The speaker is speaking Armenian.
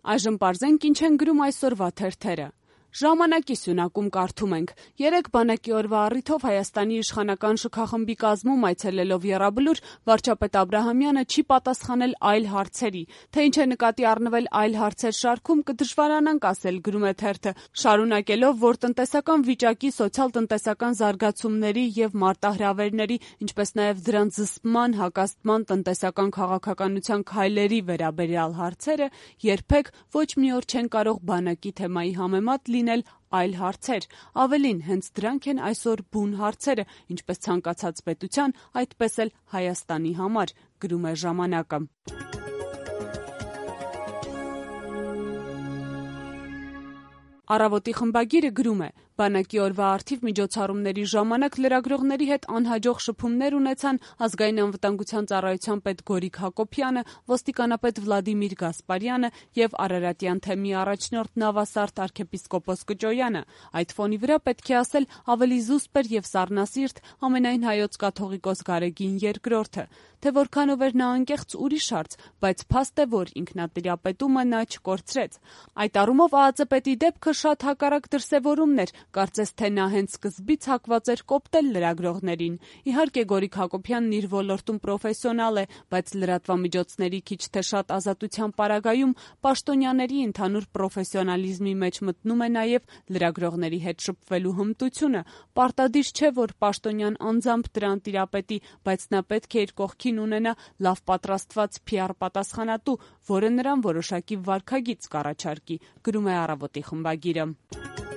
Այժմ պարզենք ինչ են գրում այսօրվա թերթերը։ Ժամանակի սյունակում կարդում ենք. երեկ բանակի օրվա առիթով Հայաստանի իշխանական շքախմբի կազմում այցելելով Եռաբլուր, վարչապետ Աբրահամյանը չի պատասխանել այլ հարցերի, թե ինչ է նկատի առնվել այլ հարցեր շարքում կդժվարանանք ասել, գրում է թերթը, շարունակելով, որ տնտեսական վիճակի, սոցիալ-տնտեսական զարգացումների եւ մարտահրավերների, ինչպես նաեւ դրանց զսպման, հակազդման, տնտեսական քաղաքականության քայլերի վերաբերյալ հարցերը երբեք ոչ մի օր չեն կարող բանակի թեմայի համեմատ լինել այլ հարցեր, ավելին հենց դրանք են այսօր բուն հարցերը, ինչպես ցանկացած պետության, այդպես էլ Հայաստանի համար, գրում է ժամանակը։ Առավոտի խմբագիրը գրում է. բանակի օրվա առթիվ միջոցառումների ժամանակ լրագրողների հետ անհաջող շփումներ ունեցան Ազգային անվտանգության ծառայության պետ Գորիկ Հակոբյանը, ոստիկանապետ Վլադիմիր Գասպարյանը եւ Արարատյան թեմի առաջնորդ նավասարդ arczepiskopos Կճոյանը։ Այդ ֆոնի վրա պետք է ասել ավելի զուսպ էր եւ սառնասիրտ ամենայն հայոց կաթողիկոս Գարեգին II-ը, թե որքանով էր նա անկեղծ ուրիշ հարց, բայց փաստ է, որ ինքնատիրապետումը նա չկորցրեց։ Այդ առումով ԱԱԾ պետի դեպքը շատ հակառակ դրսևորումն էր, կարծես թե նա հենց սկզբից հակված էր կոպտել լրագրողներին։ Իհարկե Գորիկ Հակոբյանն իր ոլորտում պրոֆեսիոնալ է, բայց լրատվամիջոցների քիչ թե շատ ազատության պարագայում պաշտոնյաների ընդհանուր պրոֆեսիոնալիզմի մեջ մտնում է նաև լրագրողների հետ շփվելու հմտությունը։ Պարտադիր չէ, որ պաշտոնյան անձամբ դրան տիրապետի, բայց նա պետք է իր կողքին ունենա լավ պատրաստված PR պատասխանատու, որը նրան որոշակի վարքագիծ կառաջարկի, գրում է Առավոտի խմբագիրը։